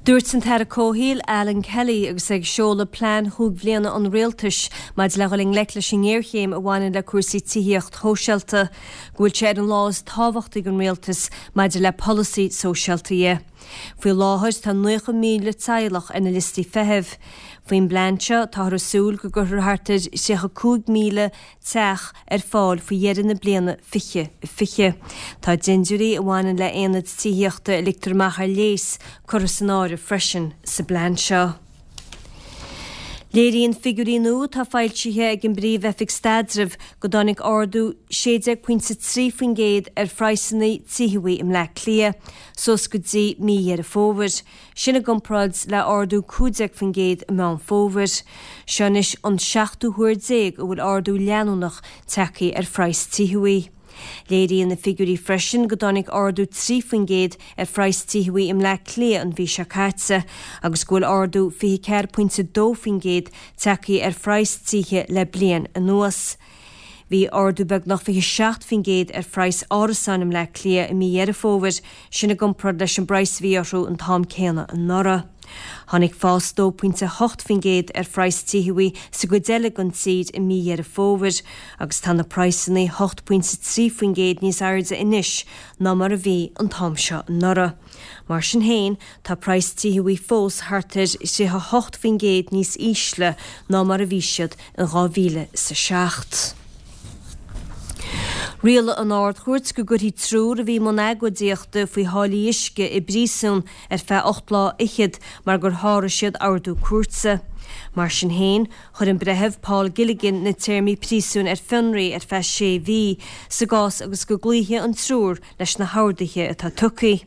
Dúirt an tAire Comhshaoil, Alan Kelly, agus é ag seoladh plean chúig bhliana an Rialtais maidir le dhul i ngleic leis an ngéarchéim a bhaineann le cúrsaí tithíocht shóisialta, go bhfuil sé ar an lá is tábhachtaí don Rialtas maidir le polasaí sóisialta dhe. Faoi láthair tá 90,000 teaghlach ar na liostaí feithimh. Faoin bplean seo táthar ag súil go gcuirfear thart ar 35,000 teach ar fáil faoi dheireadh na bliana 2020. Tá dindiúirí a bhaineann le haonaid tithíochta a ligtear amach ar léas curtha san áireamh freisin sa bplean seo. Léiríonn figiúirí nua atá foilsithe ag an bPríomh-Oifig Staidrimh go dtáinig ardú 16.3% ar phraghsanna tithe i mBleá Cliath suas go dtí mí Dheireadh Fómhair. Sin i gcomparáid le ardú 15% i Meán Fómhair. Seo anois an seachtú huair déag a bhfuil ardú leanúnach tagtha ar phraghas tithe. Léiríonn na figiúirí freisin go dtáinig ardú 3% ar phraghas tithe i mBleá Cliath an mhí seo caite agus go bhfuil ardú 24.2% tagtha ar phraghas tithe le bliain anuas. Bhí ardú beagnach 27% ar phraghas árasáin i mBleá Cliath i mí Dheireadh Fómhair, sin i gcomparáid leis an bpraghas a bhí orthu an t-am céanna anuraidh. Tháinig fás 2.8% ar phraghas tithe sa gcuid eile den tír i mí Dheireadh Fómhair agus tá na praghsanna 8.3% níos airde anois ná mar a bhí an t-am seo anuraidh. Mar sin féin, tá praghas tithe fós thart ar 38% níos ísle ná mar a bhí siad in 2007. Rialaigh an Ard-Chúirt go gcuirfí triúr a bhí i mbun agóidíochta faoi tháillí uisce i bpríosún ar feadh 8 lá fhichead mar gur sháraigh siad ordú cúirte. Mar sin féin, chuir an Breitheamh Paul Gilligan na téarmaí príosúin ar fionraí ar feadh sé mhí sa gcás agus go gcloífidh an triúr leis na horduithe atá tugtha.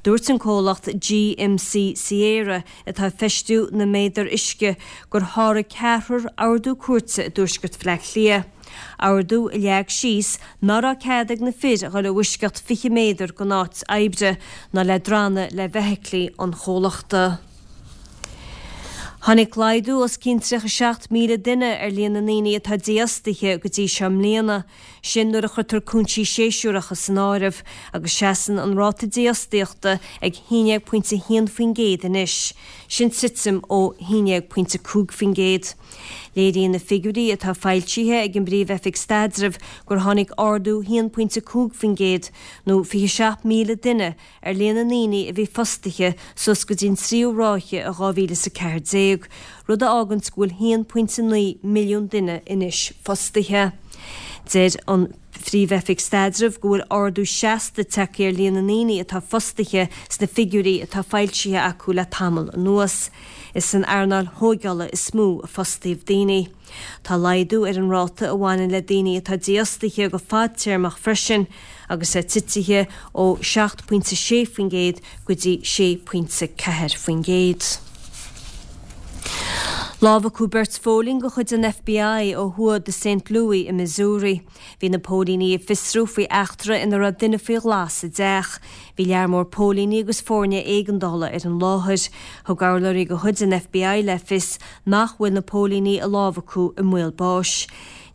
Dúirt an comhlacht GMC Sierra, atá ag feistiú na méadar uisce, gur sháraigh ceathrar ordú cúirte i dtuaisceart Bhaile Átha Cliath. Ordú a leag síos ná raibh cead ag na fir a dhul i bhfoisceacht 20 méadar den áit oibre ná le drannadh le feithiclí an chomhlachta. Tháinig laghdú os cionn 37,000 duine ar líon na ndaoine atá dífhostaithe go dtí seo i mbliana. Sin nuair a chuirtear cúinsí séasúracha san áireamh, agus seasann an ráta dífhostaíochta ag 11.1% anois, sin titim ó 11.5%. Léiríonn na figiúirí atá foilsithe ag an bPríomh-Oifig Staidrimh gur tháinig ardú 1.5%, nó 27,000 duine, ar líon na ndaoine a bhí fostaithe suas go dtí an tríú ráithe i 2014, rud a fháganns go bhfuil 1.9 milliún duine anois fostaithe. Deir an Phríomh-Oifig Staidrimh go bhfuil ardú seasta tagtha ar líon na ndaoine atá fostaithe sna figiúirí atá foilsithe acu le tamall anuas. Is san earnáil thóigeála is mó a fostaíodh daoine. Tá laghdú ar an ráta a bhaineann le daoine atá dífhostaithe go fadtéarmach freisin, agus é titithe ó 7.6% go dtí 6.4%. Lámhachadh beirt phóilín de chuid an FBI ó thuaidh de Saint Louis i Missouri. Bhí na póilíní ag fiosrú faoi eachtra ina raibh duine faoi ghlas i dteach. Bhí lear mór póilíní agus foirne éigeandála ar an láthair. Thug urlabhraí de chuid an FBI le fios nach bhfuil na póilíní a lámhachadh i mbaol báis.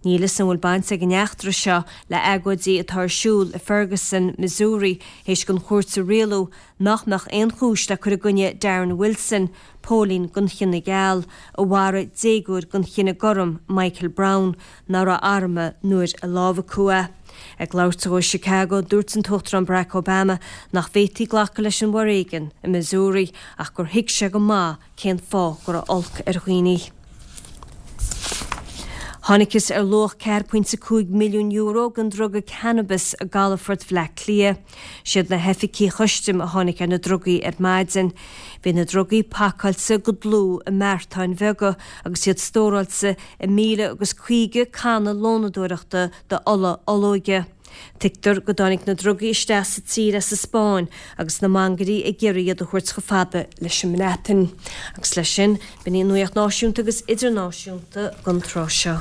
Níl fhios an bhfuil baint ag an eachtra seo le agóidí atá ar siúl i Ferguson, Missouri, théis don chúirt a rialú nach mbeadh aon chúis le cur i gcoinne Darren Wilson, póilín den chine geal, a mharaigh déagóir den chine gorm, Michael Brown, ná raibh armtha nuair a lámhachadh é. Ag labhairt dó i Chicago, dúirt an tUachtarán Barack Obama nach bhféadfaí glacadh leis an bhforéigean i Missouri ach gur thuig sé go maith cén fáth go raibh olc ar dhaoine. Thángthas ar luach €4.5 milliún den druga cannabis i gcalafort Bhleá Cliath. Siad na hoifigigh chustaim a tháinig ar na drugaí ar maidin. Bhí na drugaí pacáilte go dlúth i mbeartáin bheaga agus iad stóráilte i 1,050 canna lónadóireachta d'ola olóige. Tuigtear go dtáinig na drugaí isteach sa tír as an Spáinn agus na mangairí ag iarraidh iad a thabhairt chomh fada leis an mBreatain. Agus leis sin, b'in í an nuacht náisiúnta agus idirnáisiúnta don tráth seo.